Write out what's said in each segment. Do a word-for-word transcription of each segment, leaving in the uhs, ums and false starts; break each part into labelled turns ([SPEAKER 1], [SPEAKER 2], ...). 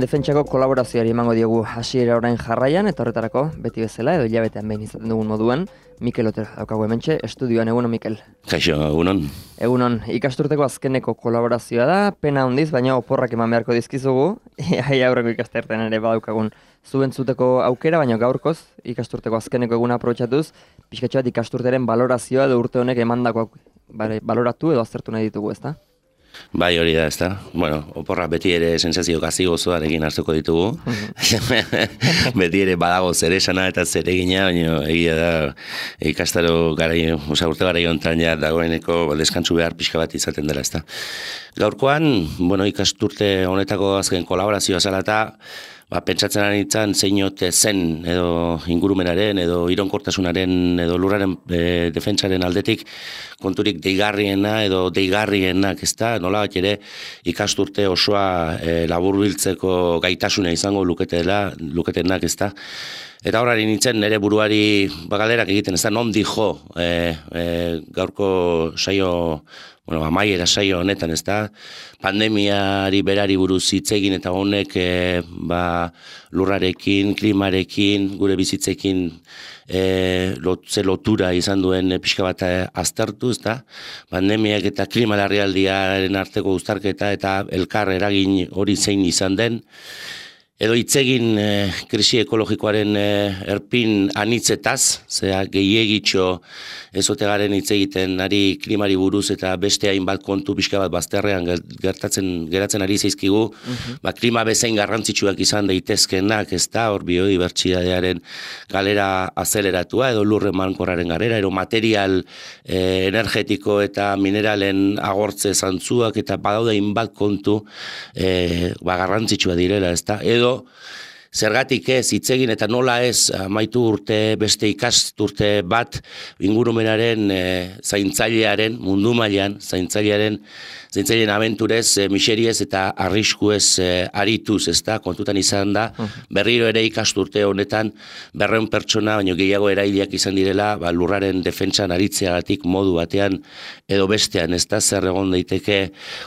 [SPEAKER 1] defentsako kolaborazioari emango diogu hasiera orain jarraian, eta horretarako, beti bezala, edo hilabetean behin izaten dugun moduan, Mikel Otero daukagu hementxe, estudioan. Egunon, Mikel.
[SPEAKER 2] Kaixo, egunon.
[SPEAKER 1] Egunon, ikasturteko azkeneko kolaborazioa da, pena handiz, baina oporrak eman beharko dizkizugu, ia aurreko ikastertean ere badaukagun zuentzuteko aukera, baina gaurkoz, ikasturteko azkeneko eguna aprobetxatuz, pixkatxo bat ikasturteren balorazioa edo urte honek emandako baloratu edo aztertu nahi ditugu, ezta?
[SPEAKER 2] Bai, hori da, ezta. Bueno, oporra beti ere sensazio gazi gozoarekin hartuko ditugu. Beti ere badago zer esana eta zer egina, baina egia da ikastaro garai, oza, urte garai hontan ja dagoeneko deskantzu behar pixka bat izaten dela, ezta. Gaurkoan, bueno, ikasturte honetako azken kolaborazioa zala eta ba, pentsatzen ari nintzen zein ote zen edo ingurumenaren edo ironkortasunaren edo lurraren e, defentsaren aldetik konturik deigarriena edo deigarrienak, ezta? Nola bat ere ikasturte osoa e, laburbiltzeko gaitasuna izango luketela, luketenak, ezta? Eta horari nintzen nire buruari bagalderak egiten, ezta? Non dijo e, e, gaurko saio, bueno, amaiera saio honetan, ezta? Pandemiari berari buruz hitz egin eta honek e, ba, lurrarekin, klimarekin, gure bizitzekin e, lot, ze lotura izan duen pixka bat aztertu, ezta? Pandemiak eta klima larrialdiaren arteko uztarketa eta elkar eragin hori zein izan den, edo hitzegin e, krisi ekologikoaren e, erpin anitzetaz, zera gehiegitxo ezotegaren hitz egiten ari klimari buruz eta beste hainbat kontu pixka bat bazterrean gertatzen geratzen ari zaizkigu, uh-huh. Ba, klima bezain garrantzitsuak izan daitezkenak, ez da, hor biodibertsitatearen galera azeleratua edo lurren mankorraren galera, edo material e, energetiko eta mineralen agortze zantzuak eta badaude hainbat kontu e, ba, garrantzitsua direla, ez da, edo zergatik ez hitzegin eta nola ez amaitu urte beste ikasturte bat ingurumenaren e, zaintzailearen mundu mailan zaintzailearen zaintzaileen abenturez e, miseriez eta arriskuez e, arituz, ezta, kontutan izan da berriro ere ikasturte honetan berrehun pertsona baino gehiago erailiak izan direla ba, lurraren defentsan aritzeagatik modu batean edo bestean, ezta, zer egon daiteke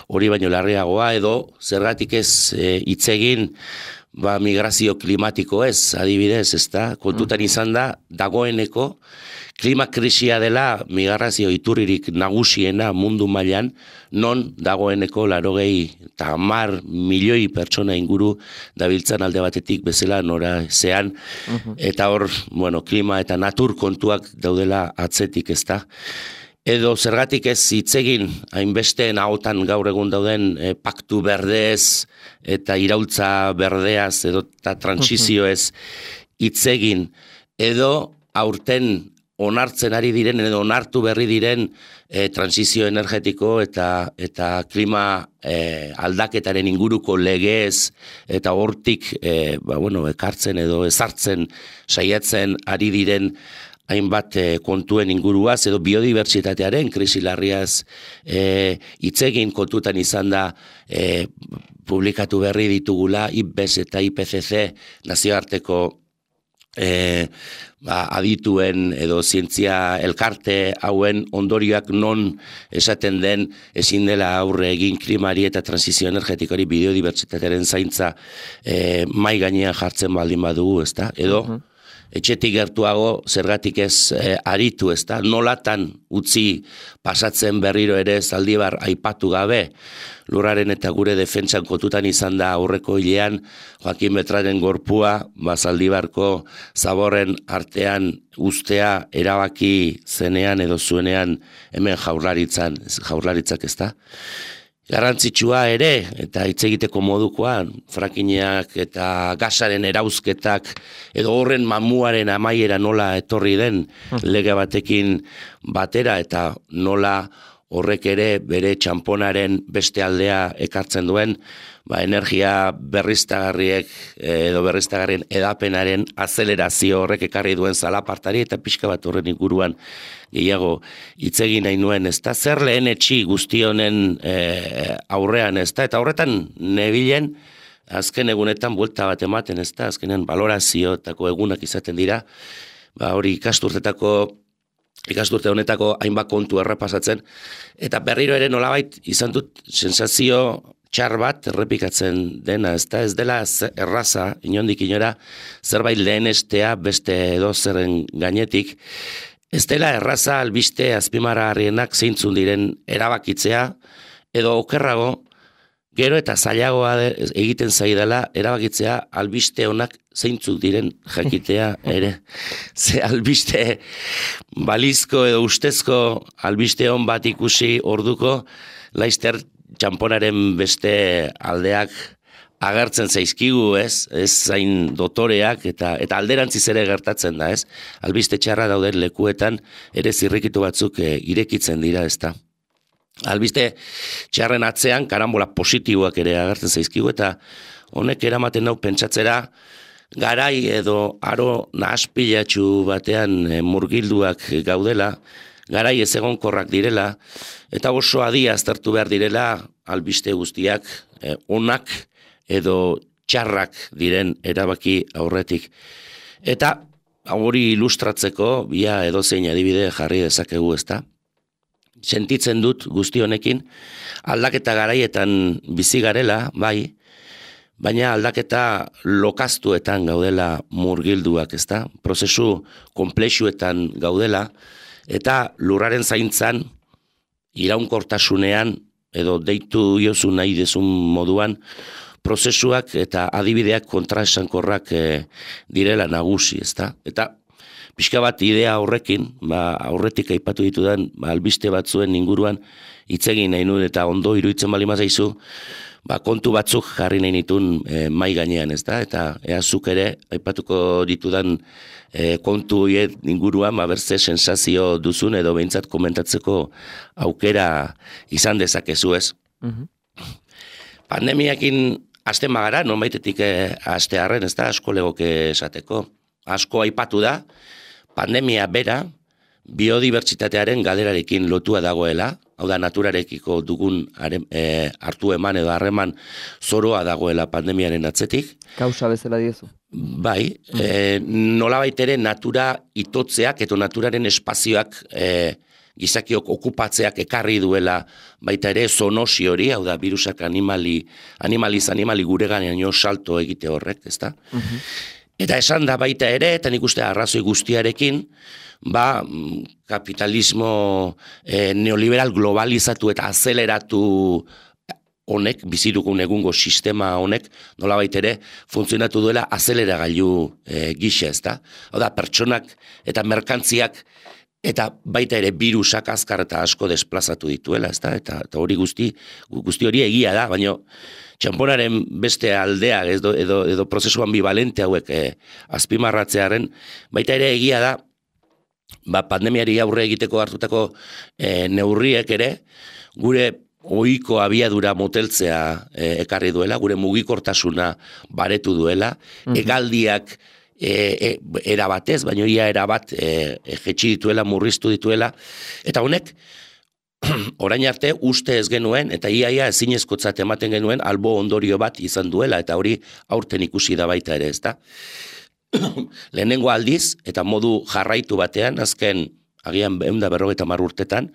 [SPEAKER 2] hori baino larriagoa edo zergatik ez hitzegin e, ba, migrazio klimatiko ez, adibidez, ezta, kontutan izan da, dagoeneko, klima krisia dela migrazio iturririk nagusiena mundu mailan, non dagoeneko larogei eta hamar milioi pertsona inguru dabiltzan alde batetik bezala nora zean, uh-huh. Eta hor, bueno, klima eta natur kontuak daudela atzetik, ezta. Edo zergatik ez hitzegin hainbesteen ahotan gaur egun dauden e, paktu berdez eta iraultza berdeaz edo eta transizioez hitzegin edo aurten onartzen ari diren edo onartu berri diren e, transizio energetiko eta eta klima e, aldaketaren inguruko legez eta hortik e, ba, bueno, ekartzen edo ezartzen saiatzen ari diren hainbat e, kontuen inguruaz edo biodibertsitatearen krisi larriaz hitzegin e, kontutan izan da e, publikatu berri ditugula I P B E S eta I P C C nazioarteko e, ba, adituen edo zientzia elkarte hauen ondorioak non esaten den ezin dela aurre egin klimari eta transizio energetikari biodibertsitatearen zaintza e, mai gainean jartzen baldin badugu, ezta? Edo uh-huh. Etxetik gertuago zergatik ez e, aritu, ezta, nolatan utzi pasatzen berriro ere Zaldibar aipatu gabe, lurraren eta gure defentsan kontutan izan da aurreko hilean Joaquin Beltraren gorpua, ba, Zaldibarko zaborren artean ustea erabaki zenean edo zuenean hemen jaurlaritzan, jaurlaritzak, ezta. Garrantzitsua ere, eta hitz egiteko modukoan, frakineak eta gasaren erauzketak, edo horren mamuaren amaiera nola etorri den lege batekin batera, eta nola horrek ere bere txamponaren beste aldea ekartzen duen, ba, energia berriztagarriek edo berriztagarrien edapenaren azelerazio horrek ekarri duen zalapartari eta pixka bat horren inguruan gehiago hitz egin nahi nuen, ezta, zer lehen etxi guzti honen e, aurrean, ezta, eta horretan nebilen azken egunetan buelta bat ematen, ezta, azkenen balorazioetako egunak izaten dira, ba, hori ikasturtetako ikasturte honetako hainbat kontu errepasatzen, eta berriro ere nolabait izan dut sensazio txar bat errepikatzen dena, ez da, ez dela erraza, inondik inora, zerbait lehenestea beste edo zerren gainetik, ez dela erraza albiste azpimarragarrienak zeintzun diren erabakitzea, edo okerrago, gero eta zailagoa egiten zaidala erabakitzea albiste honak zeintzuk diren jakitea ere. Ze albiste balizko edo ustezko albiste hon bat ikusi orduko, laizter txamponaren beste aldeak agertzen zaizkigu, ez? Ez zain dotoreak eta eta alderantziz ere gertatzen da, ez? Albiste txarra dauden lekuetan ere zirrikitu batzuk e, irekitzen dira, ezta? Albiste txarren atzean karambola positiboak ere agertzen zaizkigu eta honek eramaten nau pentsatzera garai edo aro nahaspilatxu batean e, murgilduak gaudela, garai ez egonkorrak direla eta oso adi aztertu behar direla albiste guztiak e, onak edo txarrak diren erabaki aurretik. Eta hori ilustratzeko bia edozein adibide jarri dezakegu, ezta? Sentitzen dut guzti honekin, aldaketa garaietan bizi garela, bai, baina aldaketa lokaztuetan gaudela murgilduak, ezta? Prozesu konplexuetan gaudela, eta lurraren zaintzan, iraunkortasunean, edo deitu jozu nahi dezun moduan, prozesuak eta adibideak kontraesankorrak e, direla nagusi, ezta? Eta pixka bat idea horrekin, ba, aurretik aipatu ditudan, ba, albiste batzuen inguruan hitz egin nahi nuen eta ondo iruditzen bali mazaizu, ba, kontu batzuk jarri nahi nitun e, mai gainean, ez da? Eta ea zuk ere aipatuko ditudan e, kontu hiet inguruan, ba, berze sensazio duzun edo behintzat komentatzeko aukera izan dezakezu, ez? Mm-hmm. Pandemiakin hasten magara, nonbaitetik e, hastearren, ez da? Asko legoke esateko. Asko aipatu da, pandemia bera, biodibertsitatearen galerarekin lotua dagoela, hau da naturarekiko dugun haren, e, hartu eman edo harreman zoroa dagoela pandemiaren atzetik.
[SPEAKER 1] Kausa bezala diezu.
[SPEAKER 2] Bai, mm. e, nolabait ere natura itotzeak eta naturaren espazioak e, gizakiok okupatzeak ekarri duela baita ere zoonosi hori, hau da virusak animali, animaliz animali gure ganean salto egite horrek, ezta? Mm-hmm. Eta esan da baita ere, eta nik uste arrazoi guztiarekin, ba, kapitalismo e, neoliberal globalizatu eta azeleratu honek, bizidugun egungo sistema honek, nola baitere, funtzionatu duela azeleragailu e, gisa, ezta? Hau da, pertsonak eta merkantziak eta baita ere virusak azkar eta asko desplazatu dituela, ezta? Eta, eta hori guzti, guzti hori egia da, baina txamponaren beste aldea edo, edo, edo prozesu ambivalente hauek eh, azpimarratzearen, baita ere egia da, ba, pandemiari aurre egiteko hartutako eh, neurriek ere, gure ohiko abiadura moteltzea eh, ekarri duela, gure mugikortasuna baretu duela, mm-hmm. egaldiak E, e, erabatez, baina ia erabat e, e, jetxi dituela, murriztu dituela, eta honek orain arte uste ez genuen, eta iaia ezinezkotzat ematen genuen albo ondorio bat izan duela, eta hori aurten ikusi da baita ere, ezta? Lehenengo aldiz, eta modu jarraitu batean, azken agian ehun eta berrogeita hamar urtetan,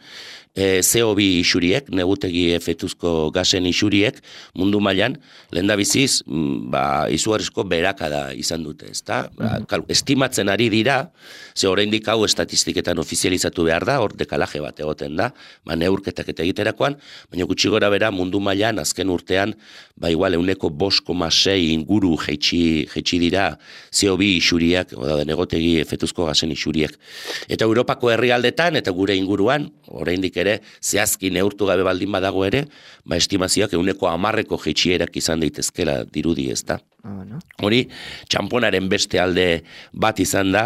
[SPEAKER 2] e, C O bi isuriek, negutegi efektuzko gasen isuriek, mundu mailan lehendabiziz, ba, izugarrizko berakada izan dute, ezta? Mm-hmm. Estimatzen ari dira, ze oraindik hau estatistiketan ofizializatu behar da, hor dekalaje bat egoten da, ba, neurketak eta egiterakoan, baina gutxi gora bera mundu mailan azken urtean, ba, igual euneko bost koma sei inguru jeitsi, jeitsi dira C O bi isuriak, oda negotegi efektuzko gasen isuriek. Eta Europako herrialdetan eta gure inguruan, oraindik ere, zehazki neurtu gabe baldin badago ere, ba, estimazioak euneko hamarreko jeitxierak izan daitezkela dirudi, ezta? Oh, no? Hori, txamponaren beste alde bat izan da,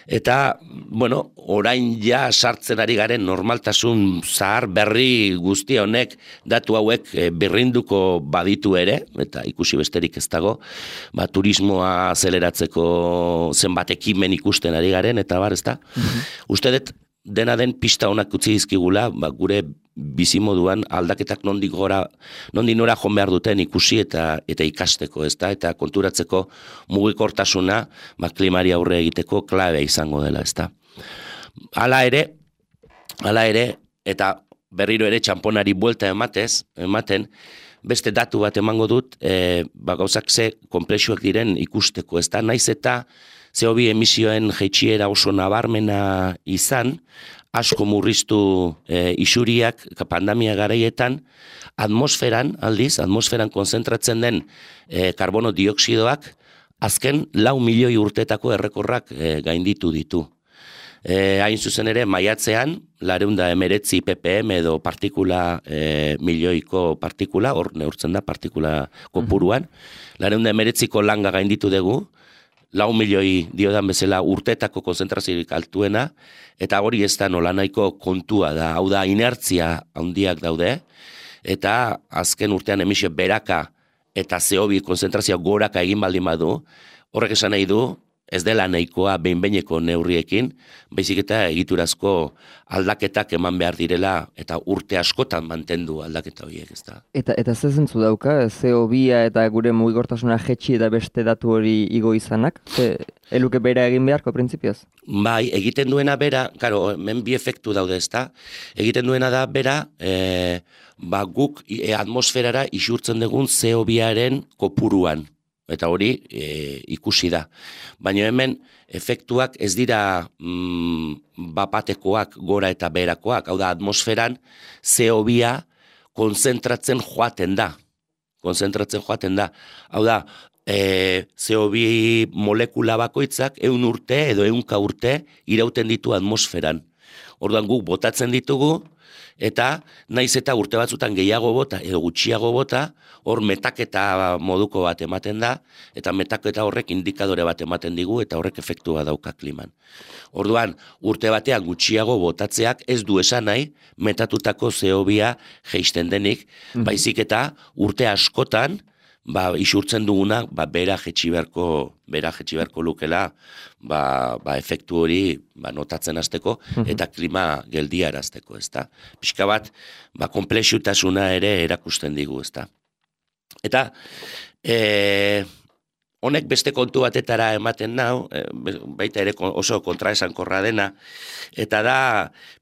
[SPEAKER 2] eta, bueno, orain ja sartzen ari garen normaltasun zahar berri guzti honek datu hauek e, berrinduko baditu ere, eta ikusi besterik ez dago, ba, turismoa azeleratzeko zenbat ekimen ikusten ari garen, eta bar, ezta? Mm-hmm. Uste dut, dena den pista honak utzi dizkigula, ba, gure bizimoduan aldaketak nondik gora, nondik nora joan behar duten ikusi eta eta ikasteko, ezta? Eta konturatzeko mugikortasuna, ba, klimari aurre egiteko klabe izango dela, ezta? Hala ere, hala ere, eta berriro ere txamponari buelta ematez, ematen, beste datu bat emango dut, e, ba, gauzak ze komplexuak diren ikusteko, ez da, naiz eta C O bi emisioen jeitsiera oso nabarmena izan, asko murriztu e, isuriak pandemia garaietan, atmosferan, aldiz, atmosferan konzentratzen den e, karbono dioksidoak, azken lau milioi urtetako errekorrak e, gainditu ditu. E, hain zuzen ere, maiatzean, lareun da emeretzi ppm edo partikula, e, milioiko partikula, hor neurtzen da partikula kopuruan, lareun da emeretziko langa gainditu dugu, lau milioi diodan bezala urtetako konzentraziorik altuena, eta hori ez da nolanahiko kontua da, hau da inertzia handiak daude, eta azken urtean emisio beraka eta C O bi konzentrazio goraka egin baldin badu, horrek esan nahi du, ez dela nahikoa behin-behineko neurriekin, baizik eta egiturazko aldaketak eman behar direla, eta urte askotan mantendu aldaketa horiek, ez da.
[SPEAKER 1] Eta, eta ze zentzu dauka, C O bia eta gure mugikortasuna jetxi eta beste datu hori igo izanak? Ze, eluke bera egin beharko printzipioz?
[SPEAKER 2] Bai, egiten duena bera, karo, hemen bi efektu daude, ez da, egiten duena da bera, e, ba, guk e, atmosferara isurtzen dugun C O biaren kopuruan. Eta hori e, ikusi da. Baina hemen efektuak ez dira mm, bapatekoak gora eta beherakoak. Hau da, atmosferan C O bia konzentratzen joaten da. Konzentratzen joaten da. Hau da, e, C O bi molekula bakoitzak ehun urte edo ehunka urte irauten ditu atmosferan. Orduan guk botatzen ditugu, eta naiz eta urte batzutan gehiago bota edo gutxiago bota, hor metaketa moduko bat ematen da, eta metaketa horrek indikadore bat ematen digu, eta horrek efektua dauka kliman. Orduan, urte batean gutxiago botatzeak ez du esan nahi, metatutako C O bia jeisten denik, mm-hmm. baizik eta urte askotan, ba, isurtzen duguna, ba, bera jetxi beharko, bera jetxi beharko lukela, ba, ba, efektu hori ba, notatzen hasteko eta klima geldiarazteko, ezta. Pixka bat, ba, konplexutasuna ere erakusten digu, ezta. Eta, e, honek beste kontu batetara ematen nau, e, baita ere oso kontraesankorra dena, eta da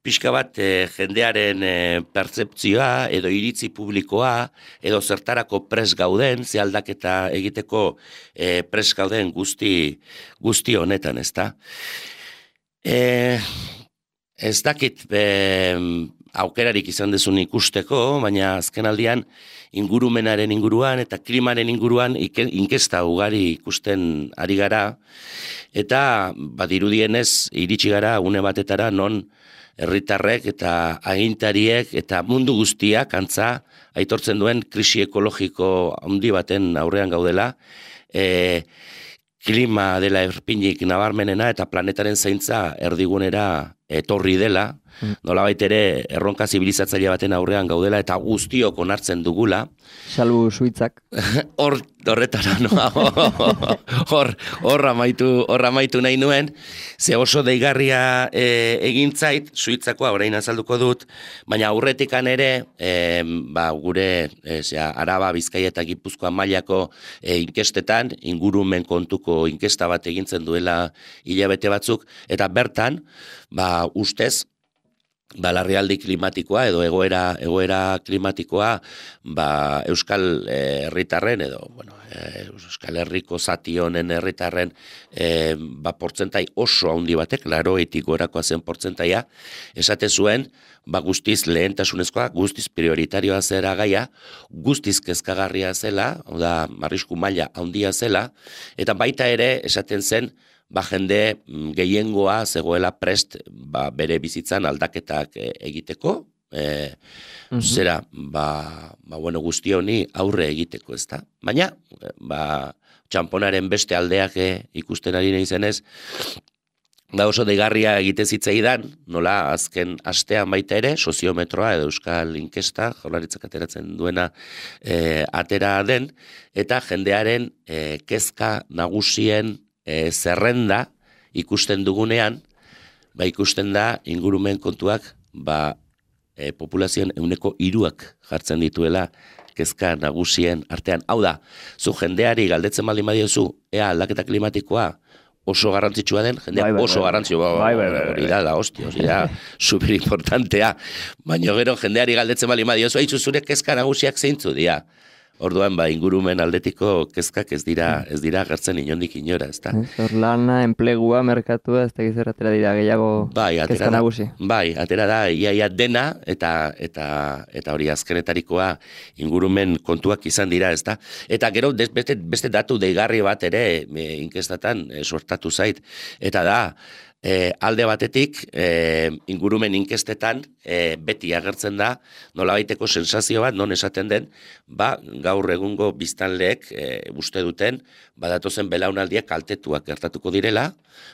[SPEAKER 2] pixka bat e, jendearen e, pertzeptzioa edo iritzi publikoa edo zertarako pres gauden, ze aldaketa egiteko e, pres gauden guzti, guzti honetan, ezta. E, ez dakit e, aukerarik izan dezun ikusteko, baina azken aldian ingurumenaren inguruan eta klimaren inguruan inkesta ugari ikusten ari gara, eta badirudienez iritsi gara une batetara non herritarrek eta agintariek eta mundu guztiak antza aitortzen duen krisi ekologiko handi baten aurrean gaudela, e, klima dela erpinik nabarmenena eta planetaren zaintza erdigunera etorri dela, nolabait ere erronka zibilizatzaile baten aurrean gaudela eta guztiok onartzen dugula.
[SPEAKER 1] Salbu Suitzak.
[SPEAKER 2] Hor, horretara, no? Hor, hor amaitu, hor amaitu nahi nuen, ze oso deigarria e, egin zait, Suitzakoa orain azalduko dut, baina aurretikan ere, e, ba, gure e, zera, Araba, Bizkaia eta Gipuzkoa mailako e, inkestetan, ingurumen kontuko inkesta bat egintzen duela hilabete batzuk, eta bertan, ba, ustez, ba, larrialdi klimatikoa edo egoera egoera klimatikoa ba, Euskal herritarren edo bueno, Euskal Herriko zati honen herritarren e, ba, portzentai oso handi batek, laurogeita gorakoa zen portzentaia, esate zuen ba, guztiz lehentasunezkoa, guztiz prioritarioa zera gaia, guztiz kezkagarria zela, hau da, arrisku maila handia zela, eta baita ere esaten zen ba, jende gehiengoa zegoela prest ba, bere bizitzan aldaketak e, egiteko, e, mm-hmm. zera, ba, ba, bueno, guzti honi aurre egiteko, ez da. Baina, ba, txamponaren beste aldeak e, ikusten ari nahi zenez, da oso deigarria egite zitzaidan, nola azken astean baita ere, soziometroa edo euskal inkesta, jaurlaritzak ateratzen duena e, atera den, eta jendearen e, kezka nagusien E, zerrenda ikusten dugunean, ba ikusten da ingurumen kontuak ba, e, populazioan ehuneko hiruak jartzen dituela kezka nagusien artean. Hau da, zu jendeari galdetzen baldin badiozu, ea aldaketa klimatikoa oso garrantzitsua den, jendea
[SPEAKER 1] bai, bai,
[SPEAKER 2] oso
[SPEAKER 1] bai.
[SPEAKER 2] garrantzitsua,
[SPEAKER 1] Bai, bai, bai,
[SPEAKER 2] hori da, da, hostia, hori da, super importantea. Baina gero jendeari galdetzen bali ma diozu, haitzu zure kezka nagusiak zeintzu dira. Orduan, ba, ingurumen aldetiko kezkak ez dira, ez dira gertzen inondik inora, ezta.
[SPEAKER 1] Hor lana, enplegua, merkatua, ez tegiz erratera dira gehiago
[SPEAKER 2] bai,
[SPEAKER 1] kezka
[SPEAKER 2] da,
[SPEAKER 1] nagusi.
[SPEAKER 2] Bai, atera da, iaia dena, eta, eta, eta hori azkenetarikoa ingurumen kontuak izan dira, ezta. Eta gero, des, beste, beste datu deigarri bat ere, e, inkestatan e, sortatu zait, eta da, E, alde batetik, e, ingurumen inkestetan e, beti agertzen da, nolabaiteko sensazio bat, non esaten den, ba, gaur egungo biztanleek e, uste duten, badatozen belaunaldiak kaltetuak gertatuko direla,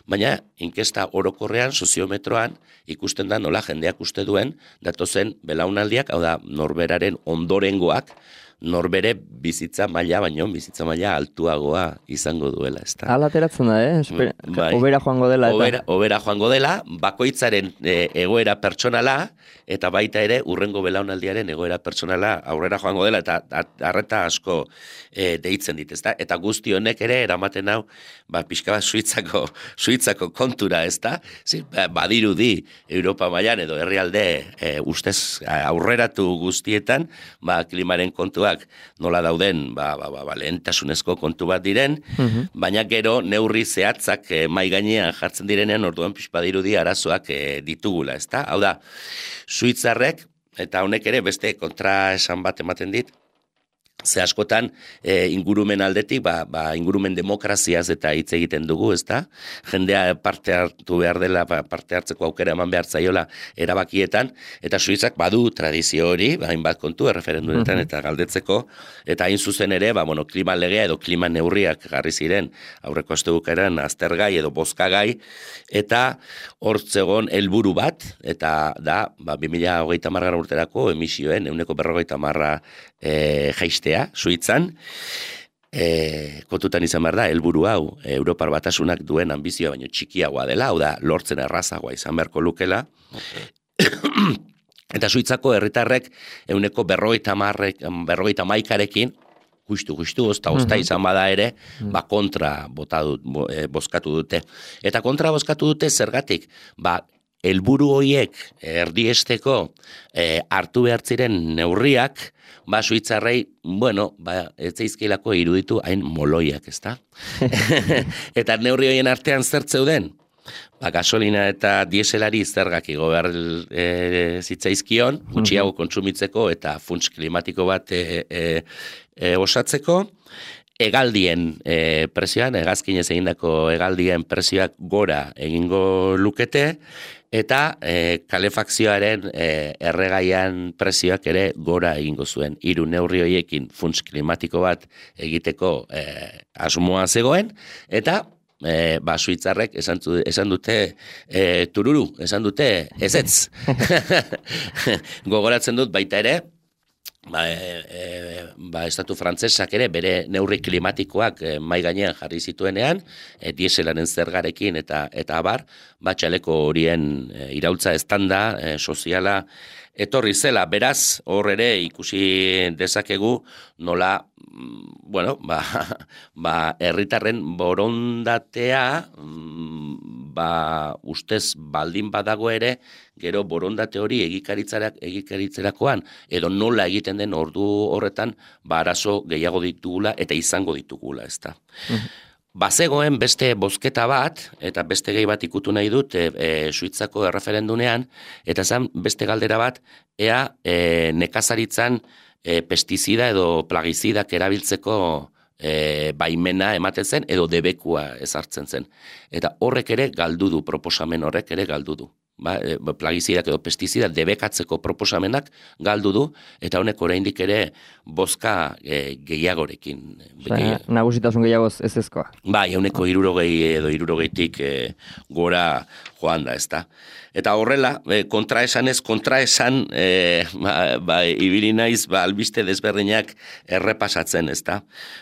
[SPEAKER 2] baina inkesta orokorrean, soziometroan, ikusten da nola jendeak uste duen, datozen belaunaldiak, hau da, norberaren ondorengoak, norbere bizitza maila, baino bizitza maila altuagoa izango duela, ezta.
[SPEAKER 1] Hala ateratzen da, eh? Esper,
[SPEAKER 2] bai.
[SPEAKER 1] Obera joango dela. Eta...
[SPEAKER 2] Obera, obera joango dela, bakoitzaren e, egoera pertsonala, eta baita ere urrengo belaunaldiaren egoera pertsonala aurrera joango dela, eta arreta asko e, deitzen dit, ezta. Eta guzti honek ere eramaten hau, ba, pixka bat Suitzako, Suitzako kontura, ezta. Zin, ba, badirudi Europa mailan edo herrialde e, ustez aurreratu guztietan, ba, klimaren kontua nola dauden, ba, ba, ba, ba, lehentasunezko kontu bat diren, uh-huh. baina gero neurri zehatzak e, mai gainean jartzen direnean, orduan pixpadirudi arazoak e, ditugula, ezta? Hau da, Suitzarrek, eta honek ere beste kontra esan bat ematen dit, ze askotan e, ingurumen aldetik, ba, ba, ingurumen demokraziaz eta hitz egiten dugu, ezta? Jendea parte hartu behar dela, ba, parte hartzeko aukera eman behar zaiola erabakietan, eta Suitzak badu tradizio hori, ba, hainbat kontu erreferendunetan eta galdetzeko, eta hain zuzen ere, ba, bueno, klima legea edo klima neurriak jarri ziren, aurreko astebukaeran aztergai edo bozkagai, eta hor zegoen helburu bat, eta da, ba, bi mila hogeita hamargarren urterako emisioen, ehuneko berrogeita hamarra e, jaistea, Suitzan, e, kontutan izan behar da, helburu hau, Europar Batasunak duen ambizioa baino txikiagoa dela, hau da, lortzen errazagoa izan beharko lukela, eta Suitzako herritarrek ehuneko berrogeita hamarrek, berrogeita hamaikarekin, justu, justu, ozta, ozta izan bada ere, ba, kontra bota dut, bo, e, bozkatu dute. Eta kontra bozkatu dute zergatik, ba, helburu horiek erdiesteko e, hartu behar ziren neurriak, ba, Suitzarrei, bueno, ba, ez zaizkilako iruditu hain moloiak, ezta? Eta neurri horien artean zer zeuden? Ba, gasolina eta dieselari zergak igo behar e, zitzaizkion, gutxiago kontsumitzeko eta funts klimatiko bat e, e, e, osatzeko, hegaldien e, presioan, hegazkinez egindako hegaldien presioak gora egingo lukete, eta e, kalefakzioaren e, erregaian presioak ere gora egingo zuen. Hiru neurri horiekin funts klimatiko bat egiteko e, asmoa zegoen, eta e, ba, Suitzarrek esan, esan dute e, tururu, esan dute ezetz. Gogoratzen dut baita ere, Ba, e, e, ba, estatu frantzesak ere bere neurri klimatikoak e, mai gainean jarri zituenean, e, dieselaren zergarekin eta eta abar, ba, txaleko horien e, iraultza estanda, e, soziala, etorri zela, beraz, hor ere ikusi dezakegu nola, bueno, ba, ba, herritarren borondatea, ba, ustez baldin badago ere, gero borondate hori egikaritzerakoan, edo nola egiten den ordu horretan, ba, arazo gehiago ditugula eta izango ditugula, ezta. Mm-hmm. Bazegoen beste bozketa bat, eta beste gehi bat ikutu nahi dut, e, e, Suitzako erreferendunean, eta zan beste galdera bat, ea e, nekazaritzan e, pestizida edo plagizidak erabiltzeko e, baimena ematen zen, edo debekua ezartzen zen. Eta horrek ere galdu du, proposamen horrek ere galdu du. Ba, e, plagizidak edo pestizida debekatzeko proposamenak galdu du, eta honek oraindik ere bozka e, gehiagorekin.
[SPEAKER 1] Osea, nagusitasun gehiagoz ez ezkoa.
[SPEAKER 2] Bai, ehuneko hirurogei edo hirurogeitik e, gora joan da, ezta. Eta horrela, e, kontraesan ez, kontraesan, e, ba, ba, ibili naiz, ba, albiste desberdinak errepasatzen, ezta.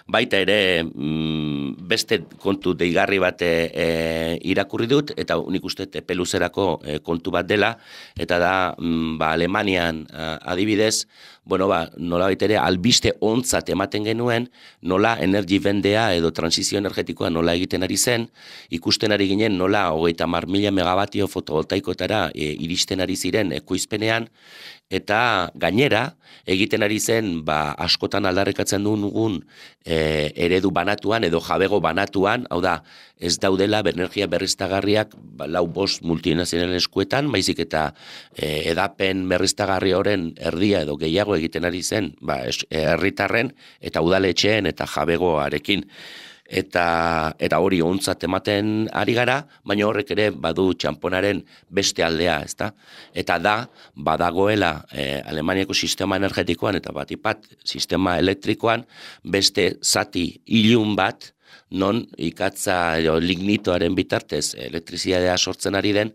[SPEAKER 2] Baita ere, mm, beste kontu deigarri bat e, irakurri dut, eta nik uste epe luzerako e, kontu bat dela, eta da, mm, ba, Alemanian a, adibidez, bueno, ba, nola baitere, albiste ontzat ematen genuen, nola energi bendea edo transizio energetikoa nola egiten ari zen, ikusten ari ginen nola hogeita hamar mila megabatio fotovoltaikoetara e, iristen ari ziren ekoizpenean, eta gainera egiten ari zen ba, askotan aldarrikatzen dugun e, eredu banatuan edo jabego banatuan, hau da, ez daudela energia berriztagarriak ba, lau bost multinazionalen eskuetan, baizik eta e, edapen berriztagarri horren erdia edo gehiago egiten ari zen ba, herritarren eta udaletxeen eta jabegoarekin. Eta, eta hori ontzat ematen ari gara, baina horrek ere badu txamponaren beste aldea, ezta? Eta da, badagoela eh, Alemaniako sistema energetikoan eta batipat sistema elektrikoan beste zati ilun bat, non ikatza edo lignitoaren bitartez elektrizitatea sortzen ari den,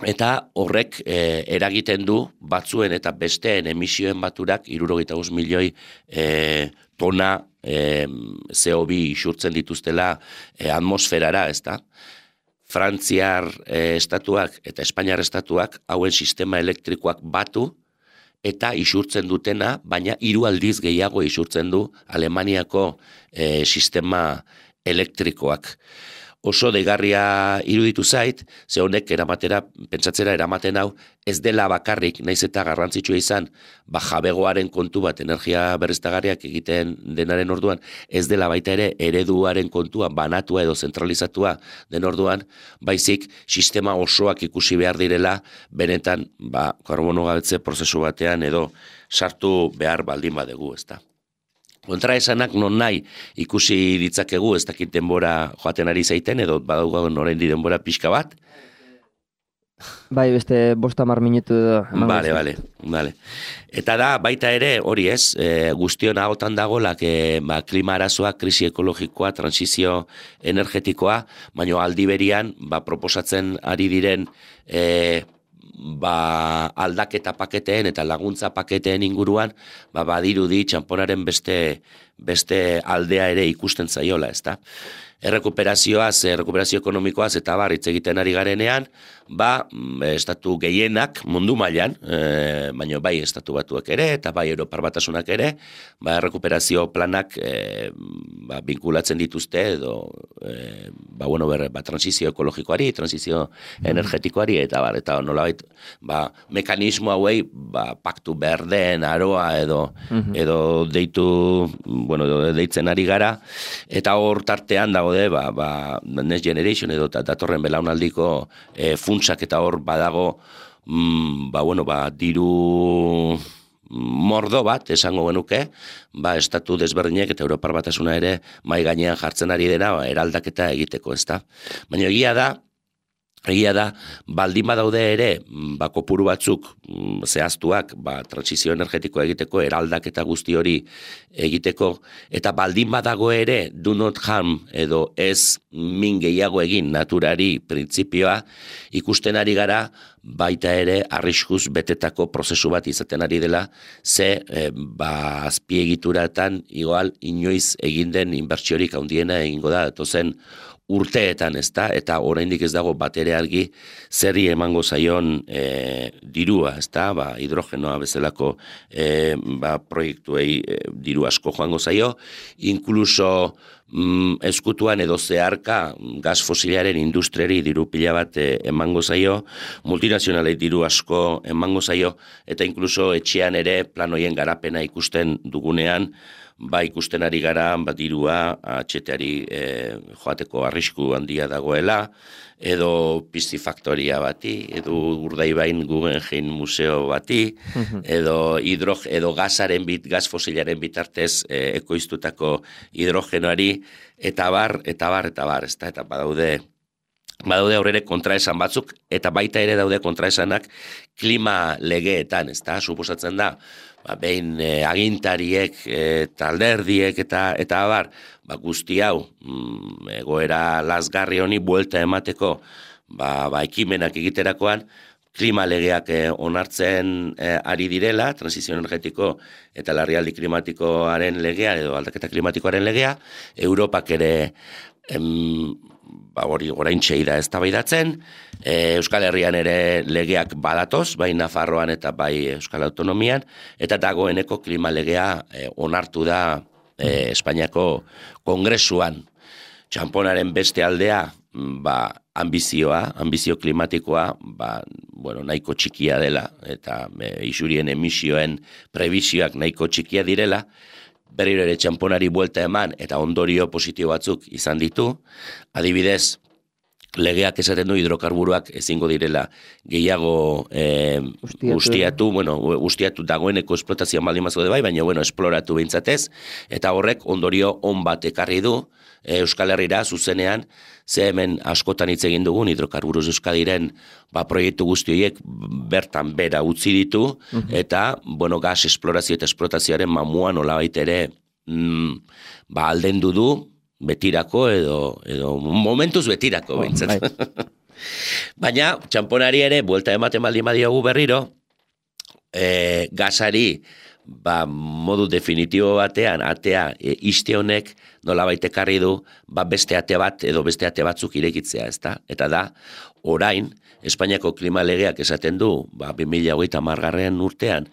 [SPEAKER 2] eta horrek eh, eragiten du batzuen eta besteen emisioen baturak hirurogeita bost milioi eh, tona eh, C O bi isurtzen dituztela eh, atmosferara, ezta? Frantziar eh, estatuak eta Espainiar estatuak hauen sistema elektrikoak batu eta isurtzen dutena, baina hiru aldiz gehiago isurtzen du Alemaniako eh, sistema elektrikoak. Oso deigarria iruditu zait, ze honek eramatera, pentsatzera eramaten hau, ez dela bakarrik, naiz eta garrantzitsua izan, ba jabegoaren kontu bat, energia berriztagarriak egiten denaren orduan, ez dela baita ere ereduaren kontua, banatua edo zentralizatua den orduan, baizik sistema osoak ikusi behar direla, benetan, ba, karbono gabetze prozesu batean edo sartu behar baldin badegu, ezta. Kontraesanak non nahi ikusi ditzakegu, ez dakit denbora joaten ari zaiten, edo badaugagun oraindik denbora pixka bat.
[SPEAKER 1] Bai, beste bost hamar minutu edo.
[SPEAKER 2] Bale, bale, bale. Eta da, baita ere, hori ez, e, guztion ahotan dagolak e, ba, klima arazoa, krisi ekologikoa, transizio energetikoa, baina aldi berian, ba, proposatzen ari diren e, ba, aldaketa paketeen eta laguntza paketeen inguruan, ba, badirudi txamponaren beste, beste aldea ere ikusten zaiola, ezta? Errekuperazioaz, errekuperazio ekonomikoaz eta bar hitz egiten ari garenean, ba, estatu gehienak mundu mailan, e, baina bai estatu batuak ere eta bai Europar Batasunak ere, ba, errekuperazio planak e, ba, binkulatzen dituzte edo e, ba, bueno, ber, ba, transizio ekologikoari, transizio energetikoari eta bar, eta nolabait ba, mekanismo hauei ba, paktu berdeen aroa edo, edo deitu, bueno, edo deitzen ari gara, eta hor tartean dago de, ba, ba, Next Generation edo datorren belaunaldiko e, funtsak eta hor badago mm, ba, bueno, ba, diru mordo bat, esango genuke, ba, estatu desberdinek eta Europar Batasuna ere mai gainean jartzen ari dena ba, eraldaketa egiteko, ezta? Baina egia da, Egia da, baldin badaude ere, ba, kopuru batzuk zehaztuak, ba, transizio energetikoa egiteko, eraldaketa guzti hori egiteko, eta baldin badago ere, do not harm, edo ez min gehiago egin naturari printzipioa, ikusten ari gara, baita ere, arriskuz betetako prozesu bat izaten ari dela, ze, e, ba, azpiegituratan, igual, inoiz egin den inbertsiorik handiena egingo da, etozen, urteetan, ezta, eta oraindik ez dago batere argi zerri emango zaion e, dirua, ezta, ba, hidrogenoa bezalako e, ba, proiektuei e, diru asko joango zaio, inkluso mm, eskutuan edo zeharka gas fosilaren industriari diru pila bat e, emango zaio, multinazionalei diru asko emango zaio, eta inkluso etxean ere planoien garapena ikusten dugunean, ba ikusten ari gara, ba dirua atxeteari e, joateko arrisku handia dagoela, edo pistifaktoria bati, edo Urdaibain Guggenheim museo bati, edo hidrog, edo gasaren bit, gas fosilaren bitartez e, ekoiztutako hidrogenoari, eta bar, eta bar, eta bar, ezta, eta badaude, badaude aurrere kontraesan batzuk, eta baita ere daude kontraesanak klima legeetan, ezta, suposatzen da, ba, behin e, agintariek, e, talderdiek eta eta abar, ba, guzti hau, mm, egoera lasgarri honi buelta emateko, ba, ba ekimenak egiterakoan, klima legeak eh, onartzen eh, ari direla, transizio energetiko eta larrialdi klimatikoaren legea, edo aldaketa klimatikoaren legea, Europak ere em, ba, hori oraintxe da eztabaidatzen, e, Euskal Herrian ere legeak badatoz, bai Nafarroan eta bai Euskal Autonomian, eta dagoeneko klima legea e, onartu da e, Espainiako Kongresuan. Txamponaren beste aldea, ba, ambizioa, ambizio klimatikoa, ba, bueno, nahiko txikia dela, eta e, isurien emisioen prebisioak nahiko txikia direla, berriro ere txamponari buelta eman, eta ondorio positibo batzuk izan ditu. Adibidez, legeak esaten du hidrokarburoak ezingo direla gehiago eh, ustiatu, ustiatu, bueno, ustiatu dagoeneko esplotazioa baldin bazaude bai, baina bueno, esploratu behintzatez, eta horrek ondorio on bat ekarri du eh, Euskal Herrira zuzenean, ze hemen askotan hitz egin dugun hidrokarburos Euskadiren ba, proiektu guzti horiek bertan bera utzi ditu, uh-huh. eta bueno, gas esplorazio eta esplotazioaren mamua nolabait ere mm, ba, aldendu du, betirako edo, edo momentuz betirako behintzat. Oh, baina, txamponari ere, buelta ematen baldin badiogu berriro, e, gasari ba, modu definitibo batean, atea e, iste honek nolabait ekarri du, ba, beste ate bat edo beste ate batzuk irekitzea, ezta? Eta da, orain, Espainiako klima legeak esaten du, ba, bi mila hogeita hamargarren urtean,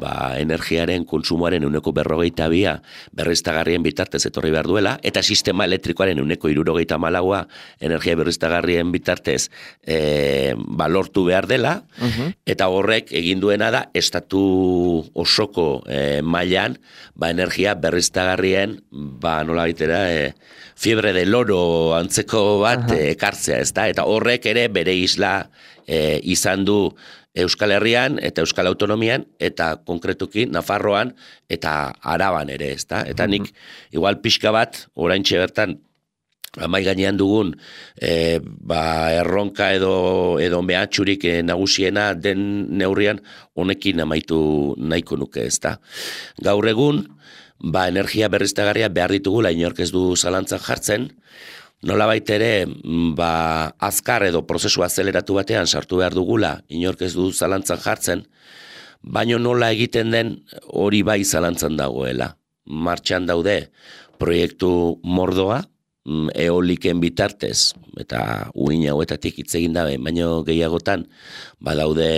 [SPEAKER 2] ba, energiaren kontsumoaren ehuneko berrogeita bia berriztagarrien bitartez etorri behar duela, eta sistema elektrikoaren ehuneko hirurogeita hamalaua energia berriztagarrien bitartez e, ba, lortu behar dela, uh-huh. eta horrek egin duena da, estatu osoko e, mailan, ba, energia berriztagarrien, ba, nola baitera, e, fiebre de loro antzeko bat uh-huh. ekartzea, ezta? Eta horrek ere bere isla e, izan du Euskal Herrian eta Euskal Autonomian eta konkretuki Nafarroan eta Araban ere, ezta? Eta nik igual pixka bat oraintxe bertan amai gainean dugun e, ba, erronka edo edo mehatxurik e, nagusiena den neurrian honekin amaitu nahiko nuke, ezta? Gaur egun ba, energia berriztagarria behar ditugula inork ez du zalantzan jartzen, nolabait ere ba, azkar edo prozesu azeleratu batean sartu behar dugula inork ez du zalantzan jartzen, baino nola egiten den hori bai zalantzan dagoela. Martxan daude proiektu mordoa, eoliken bitartez, eta uin hauetatik hitz egin dabe, baino gehiagotan badaude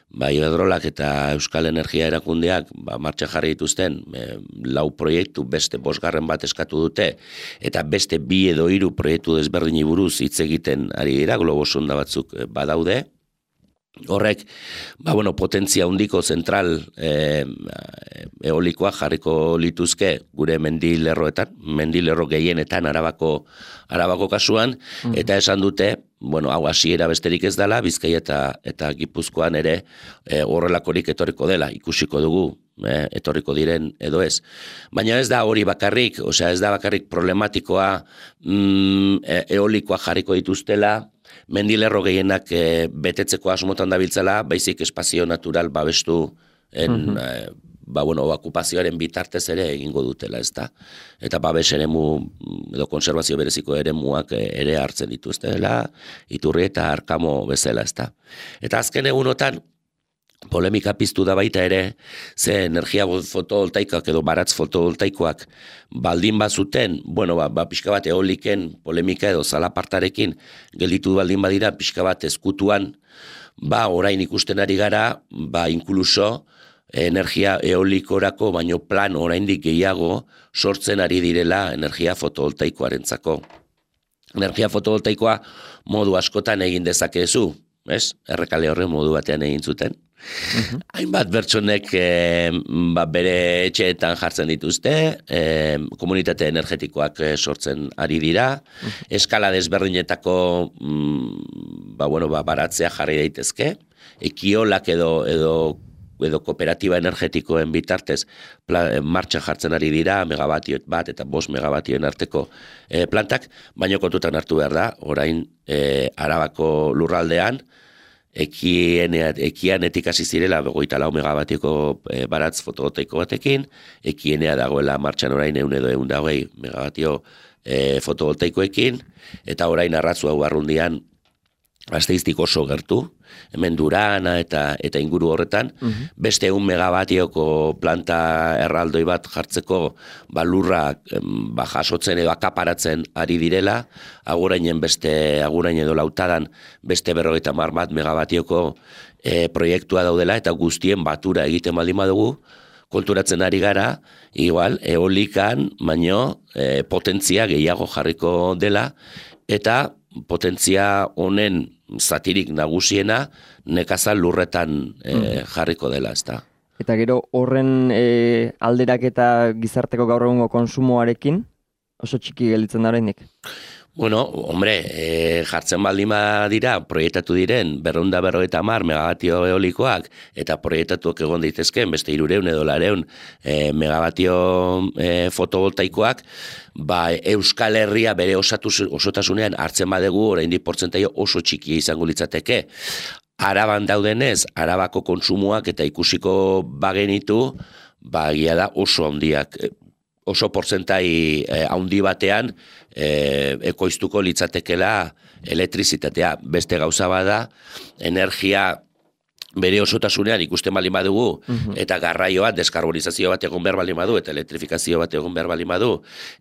[SPEAKER 2] ba, Iberdrolak eta Euskal Energia erakundeak ba, martxa jarri dituzten e, lau proiektu beste bosgarren bat eskatu dute, eta beste bi edo hiru proiektu desberdini buruz hitz egiten ari dira, globo sonda batzuk e, badaude. Horrek, ba, bueno, potentzia handiko zentral e, eolikoa jarriko lituzke gure mendilerroetan, mendilerro gehienetan arabako, arabako kasuan, mm. eta esan dute, bueno, hau hasiera besterik ez dela, Bizkai eta, eta Gipuzkoan ere e, horrelakorik etorriko dela, ikusiko dugu, e, etorriko diren edo ez. Baina ez da hori bakarrik, osea ez da bakarrik problematikoa mm, e, eolikoa jarriko dituztela, mendilerro gehienak e, betetzeko asmotan dabiltzala, baizik espazio natural babestu en, uh-huh. e, ba, bueno, okupazioaren bitartez ere egingo dutela, ezta? Eta babes eremu edo konservazio bereziko eremuak ere hartzen dituztela, Iturri eta Arkamo bezala, ezta? Eta azken egunotan polemika piztu da baita ere, ze energia fotovoltaikoak edo baratz fotovoltaikoak baldin bazuten, bueno, ba, ba pixka bat eoliken polemika edo zalapartarekin gelditu baldin badira pixka bat ezkutuan, ba orain ikusten ari gara, ba inkluso energia eolikorako baino plan oraindik gehiago sortzen ari direla energia fotovoltaikoarentzako. Energia fotovoltaikoa modu askotan egin dezakezu, ez? Errekale horren modu batean egin zuten. Uh-huh. Hainbat bertsonek e, ba, bere etxeetan jartzen dituzte, e, komunitate energetikoak e, sortzen ari dira, uh-huh. eskala desberdinetako mm, ba, bueno, ba, baratzea jarri daitezke, ekiolak edo, edo, edo kooperatiba energetikoen bitartez plan, martxan jartzen ari dira, megabatioet bat eta bost megabatioen arteko e, plantak, baino kontutan hartu behar da, orain e, Arabako lurraldean, ekianetik hasi zirela begoita lau megabatioko e, baratz fotovoltaiko batekin, ekienea dagoela martxan orain eun edo eun da hogei megabatio e, fotovoltaikoekin, eta orain arratzu hau arrundian Gasteiztik oso gertu, hemen Durana eta eta inguru horretan, uh-huh. beste un megabatioko planta erraldoi bat jartzeko balurrak ba, jasotzen edo akaparatzen ari direla, agurainen beste, agurain edo lautadan beste berrogeita hamar bat megabatioko e, proiektua daudela eta guztien batura egiten baldin badugu, konturatzen ari gara, igual, eolikan, baino, e, potentzia gehiago jarriko dela, eta potentzia honen zatirik nagusiena nekazal lurretan e, jarriko dela, ezta.
[SPEAKER 1] Eta gero horren e, alderak eta gizarteko gaur egungo konsumoarekin oso txiki gelditzen da oraindik.
[SPEAKER 2] Bueno, hombre, e, jartzen baldin dira, proiektatu diren berrehun eta berrogeita hamar megabatio eolikoak eta proiektatuak egon daitezkeen beste hiruehun edo laurehun e, megabatio e, fotovoltaikoak, ba, Euskal Herria bere osatu, osotasunean hartzen badegu oraindik portzentaio oso txikia izango litzateke. Araban daudenez, Arabako kontsumoak eta ikusiko bagenitu, ba, egia da oso handiak, oso portzentai eh, handi batean eh, ekoiztuko litzatekela elektrizitatea. Beste gauza bada, energia bere osotasunean ikusten baldin badugu, uh-huh. eta garraioa, deskarbonizazio bat egon behar baldin badu, eta elektrifikazio bat egon behar baldin badu,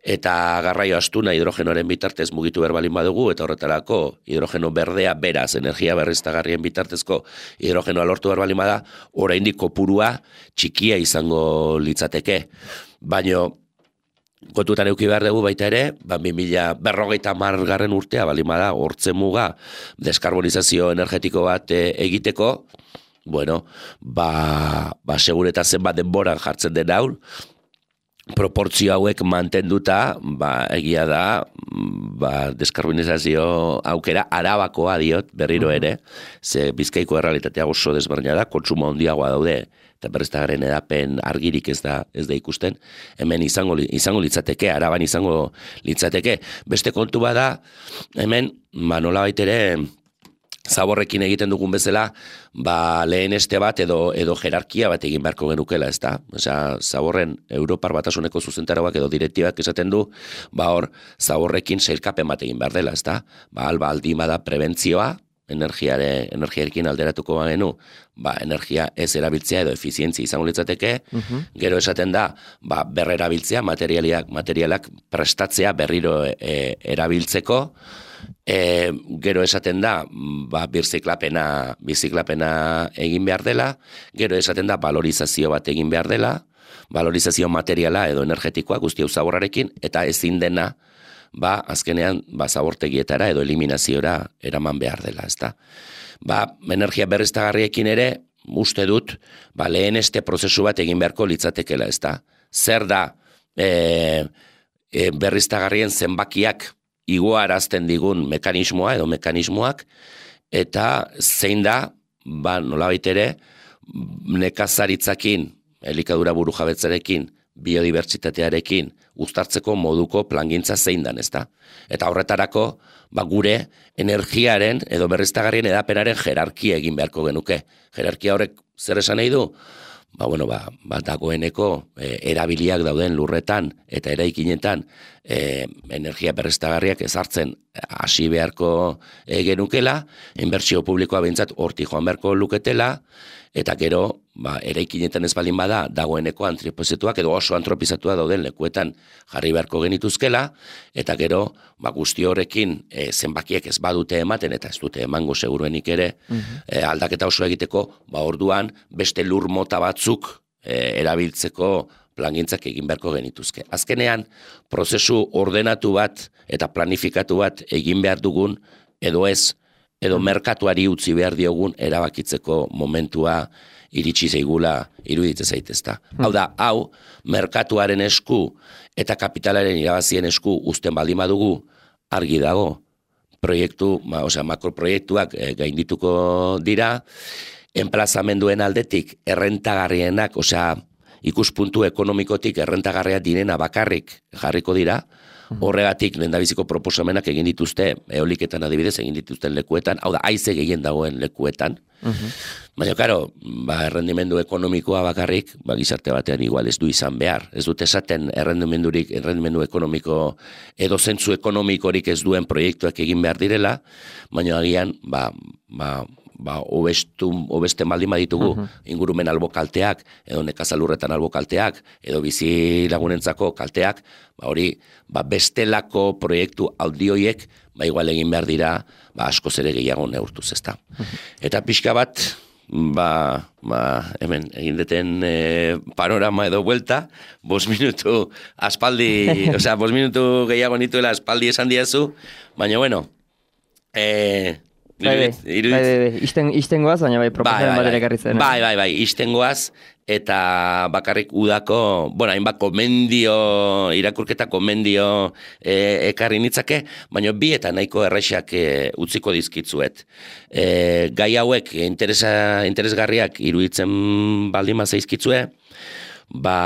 [SPEAKER 2] eta garraio astuna hidrogenoren bitartez mugitu behar baldin badugu, eta horretarako hidrogeno berdea beraz, energia berriztagarrien bitartezko hidrogenoa lortu behar baldin bada, oraindik kopurua txikia izango litzateke. Baino, kontutan euki behar dugu baita ere, ba, bi mila berrogeita hamar garren urtea, baldin bada, hortzen muga, deskarbonizazio energetiko bat e, egiteko, bueno, ba, ba segureta zenbat denboran jartzen den hau, proportzio hauek mantenduta, ba, egia da, ba, deskarbonizazio aukera Arabakoa diot berriro ere, ze Bizkaiko errealitatea oso desberdina da, kontsumo handiagoa daude, eta berriztagarrien edapen argirik ez da ez da ikusten, hemen izango izango litzateke, Araban izango litzateke. Beste kontu bada, hemen, ba, nolabait ere, zaborrekin egiten dugun bezala, ba, lehen este bat edo edo jerarkia bat egin beharko genukela, ezta? Osea, zaborren Europar Batasuneko zuzentarauak edo direktibak esaten du, ba hor, zaborrekin sailkapen bat egin behar dela, ezta? Ba, alba aldima da prebentzioa, energiare, energiarekin alderatuko bagenu, ba, energia ez erabiltzea edo efizientzia izango litzateke, uh-huh. gero esaten da, ba, berrerabiltzea, materialak, materialak prestatzea berriro e, erabiltzeko, e, gero esaten da, ba, birziklapena, birziklapena egin behar dela, gero esaten da, valorizazio bat egin behar dela, valorizazio materiala edo energetikoa guzti hau zaborrarekin, eta ezin dena, ba, azkenean, ba, zabortegietara edo eliminaziora eraman behar dela, ezta. Ba, energia berriztagarriekin ere, uste dut, ba, lehen este prozesu bat egin beharko litzatekela, ezta. Zer da e, e, berriztagarrien zenbakiak igoarazten digun mekanismoa edo mekanismoak, eta zein da, ba, nolabait ere, nekazaritzakin, elikadura burujabetzarekin, biodibertsitatearekin, uztartzeko moduko plangintza zein dan, ezta? Eta horretarako, ba, gure energiaren edo berriztagarrien edapenaren jerarkia egin beharko genuke. Jerarkia horrek zer esan nahi du? Ba, bueno, ba, ba dagoeneko e, erabiliak dauden lurretan eta eraikinetan e, energia berriztagarriak ezartzen hasi beharko e, genukela, inbertsio publikoa behintzat hortik joan beharko luketela, eta gero, ba, eraikinetan ez baldin bada, dagoeneko antropizatuak edo oso antropizatua dauden lekuetan jarri beharko genituzkela, eta gero, ba, guzti horrekin e, zenbakiek ez badute ematen, eta ez dute emango seguruenik ere, uh-huh. e, aldaketa oso egiteko, ba, orduan, beste lur mota batzuk e, erabiltzeko plangintzak egin beharko genituzke. Azkenean, prozesu ordenatu bat eta planifikatu bat egin behar dugun, edo ez, edo merkatuari utzi behar diogun erabakitzeko momentua iritsi zeigula iruditze zaitezta. Hmm. Hau da, hau, merkatuaren esku eta kapitalaren irabazien esku uzten baldin badugu argi dago. Proiektu, ma, osea, makroproiektuak e, gaindituko dira, enplazamenduen aldetik errentagarrienak, osea, ikuspuntu ekonomikotik errentagarria direna bakarrik jarriko dira, Horregatik lehendabiziko proposamenak egin dituzte, eoliketan adibidez egin dituzten lekuetan, hau da, haize gehien dagoen lekuetan. Uh-huh. Baina, karo, ba, errendimendu ekonomikoa bakarrik, ba, gizarte batean igual ez du izan behar. Ez dut esaten errendimendurik, errendimendu ekonomiko, edo zentzu ekonomikorik ez duen proiektuak egin behar direla, baina agian, ba, ba, ba, obestu, obesten baldin baditugu, uh-huh. ingurumen albo kalteak, edo nekazalurretan albo kalteak, edo bizi lagunentzako kalteak, ba, hori, ba, bestelako proiektu audioiek, ba, igual egin behar dira, ba, askoz ere gehiago neurtuz, ezta. Uh-huh. Eta pixka bat, ba, ba, hemen, egin deten e, panorama edo vuelta, bos minutu aspaldi, osea, bos minutu gehiago nituela aspaldi esan diazu, baina, bueno, eh,
[SPEAKER 1] Bai, bai, bai, bai, isten, istengoaz, baina bai, proposamen bat ere ekarri zen.
[SPEAKER 2] Bai, bai, bai, istengoaz, eta bakarrik udako, bueno, hainbat komendio, irakurketa komendio e, ekarri nitzake, baina bi eta nahiko errexak e, utziko dizkitzuet. E, gai hauek interesa, interesgarriak iruditzen baldin zaizkitzue, ba,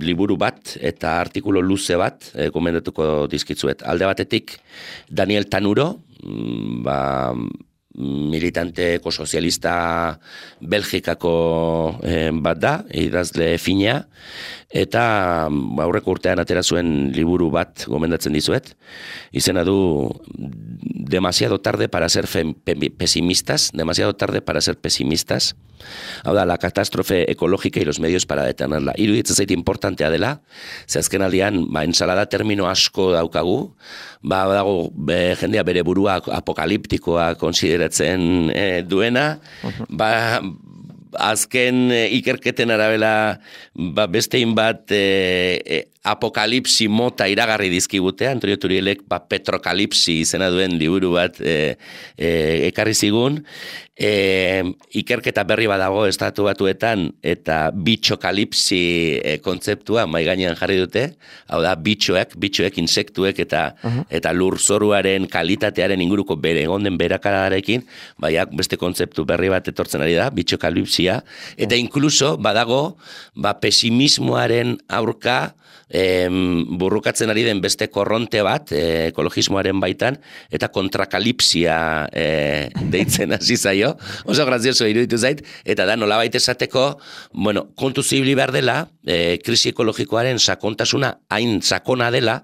[SPEAKER 2] liburu bat eta artikulu luze bat e, komendatuko dizkitzuet. Alde batetik, Daniel Tanuro, ba, militante ekosozialista Belgikako eh, bat da, idazle fina, eta aurreko urtean atera zuen liburu bat gomendatzen dizuet. Izena du Demasiado tarde para ser pesimistas, demasiado tarde para ser pesimistas. Hau da, la catástrofe ecológica y los medios para detenerla. Iruditzen zait importantea dela, ze azken aldian, ba, ensalada termino asko daukagu, ba, dago, be, jendea bere burua apokaliptikoa konsideratzen eh, duena, uh-huh. ba, azken e, ikerketen arabela ba, bestein bat e, e, apokalipsi mota iragarri dizkigute, Antonio Turielek ba, petrokalipsi izena duen liburu bat e, e, ekarri zigun, e, ikerketa berri badago estatu batuetan eta bitxokalipsi e, kontzeptua mai gainean jarri dute, hau da bitxoek, bitxoek, insektuek eta, uh-huh. eta lurzoruaren kalitatearen inguruko bere egonden berakadarekin, baiak beste kontzeptu berri bat etortzen ari da, bitxokalipsia, eta inkluso badago ba, pesimismoaren aurka em, burrukatzen ari den beste korronte bat e, ekologismoaren baitan, eta kontrakalipsia e, deitzen hasi zaio, oso grazioso iruditu zait, eta da nolabait esateko, bueno, kontu zibili behar dela, e, krisi ekologikoaren sakontasuna hain sakona dela,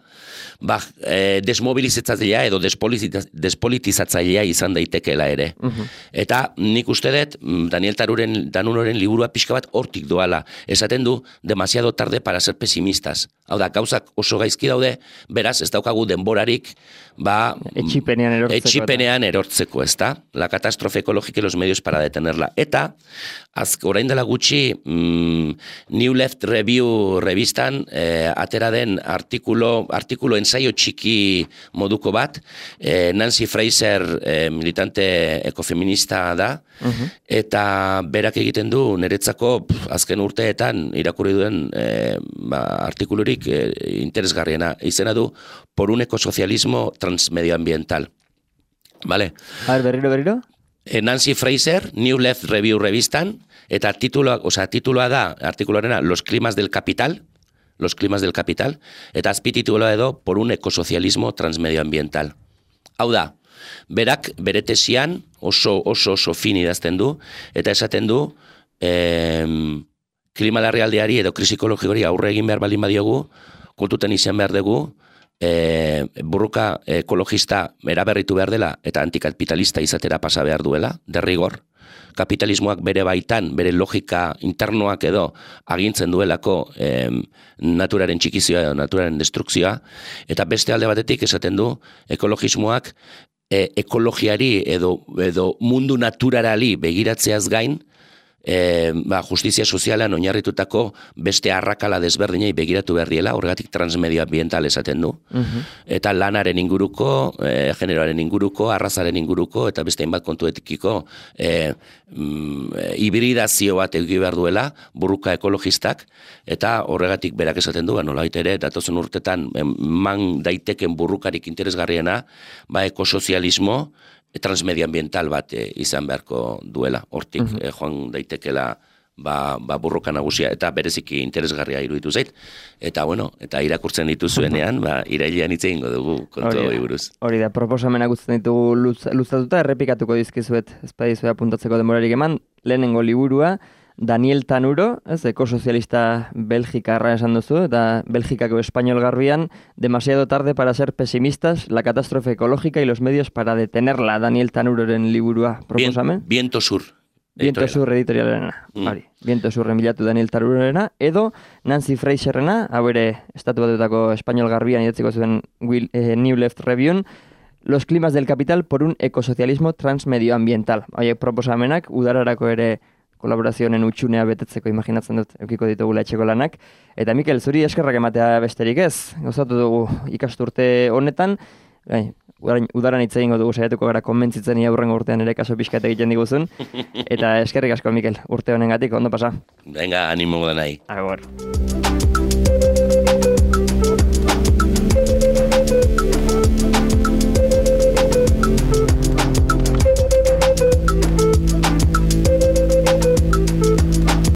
[SPEAKER 2] ba, e, desmobilizatzailea edo despolitizatzailea izan daitekeela ere. Uh-huh. Eta nik uste dut, Daniel Tanuren, Tanuren liburua pixka bat hortik doala. Esaten du, demasiado tarde para ser pesimistas. Hau da, gauzak oso gaizki daude, beraz, ez daukagu denborarik, ba,
[SPEAKER 1] etxipenean erortzeko.
[SPEAKER 2] Etxipenean erortzeko, ez da? La catástrofe ecológica y los medios para detenerla. Eta, az, orain dela gutxi, mm, New Left Review revistan, eh, atera den artikulo, artikulo ensaio txiki moduko bat, eh, Nancy Fraser, eh, militante ekofeminista da, uh-huh. eta berak egiten du niretzako pf, azken urteetan irakurri duen eh, ba, artikulurik eh, interesgarriena. Izena du, por un ecosocialismo transmedioambiental. Vale?
[SPEAKER 1] A ver, berriro, berriro?
[SPEAKER 2] Nancy Fraser, New Left Review revistan, eta tituloa, o sea, tituloa da, artikuluarena, Los climas del capital, Los climas del capital, eta azpitituloa edo, Por un ecosocialismo transmedioambiental. Hau da, berak, bere tesian, oso, oso, oso fin idazten du, eta esaten du, eh, klima larrialdiari edo krisi ekologikori aurre egin behar baldin badiogu, kontutan izan behar dugu, E, burruka ekologista eraberritu behar dela eta antikapitalista izatera pasa behar duela, derrigor. Kapitalismoak bere baitan, bere logika internoak edo agintzen duelako e, naturaren txikizioa edo naturaren destrukzioa, eta beste alde batetik esaten du ekologismoak e, ekologiari edo, edo mundu naturarali begiratzeaz gain, E, ba, justizia sozialan oinarritutako beste arrakala desberdinei begiratu berriela, horregatik transmedioambiental esaten du. Uh-huh. Eta lanaren inguruko, e, generoaren inguruko, arrazaren inguruko, eta beste hainbat kontuetikiko e, mm, hibridazio bat egi behar duela, burruka ekologistak, eta horregatik berak esaten du, nolabait ere, datozen urtetan man daiteken burrukarik interesgarriena, ba, ekosozialismo, transmedioambiental bat e, izan beharko duela, hortik uh-huh. e, joan daitekela ba, ba burroka nagusia, eta bereziki interesgarria iruditu zait. Eta, bueno, eta irakurtzen dituzuenean, ba, irailean hitz egingo dugu kontu hori buruz.
[SPEAKER 1] Hori da, proposamena guztien ditugu luz, luzatuta, errepikatuko dizkizuet, ez badizue apuntatzeko denborarik eman, lehenengo liburua, Daniel Tanuro, ez, ekosozialista belgikarra esan duzu, eta Belgikako espainol garbian, demasiado tarde para ser pesimistas, la catástrofe ecológica y los medios para detenerla, Daniel Tanuroren liburua proposamen.
[SPEAKER 2] Bien, Viento Sur.
[SPEAKER 1] Viento Sur editorialena, mm. Hori. Viento Surren bilatu Daniel Tanurorena, edo Nancy Fraserrena, hau ere, estatu batutako espainol garbian idatziko zuen Will, eh, New Left Review, Los climas del capital por un ecosocialismo transmedioambiental. Haiek proposamenak, udararako ere kolaborazioen utxunea betetzeko imaginatzen dut, eukiko ditugula etxeko lanak. Eta Mikel, zuri eskerrak ematea besterik ez, gozatu dugu ikasturte honetan, gai, udaran hitz egingo dugu saiatuko gara konbentzitzen ia hurrengo urtean ere kaso pixkat egiten diguzun. Eta eskerrik asko, Mikel, urte honengatik, ondo pasa.
[SPEAKER 2] Venga, animo da nahi.
[SPEAKER 1] Agor.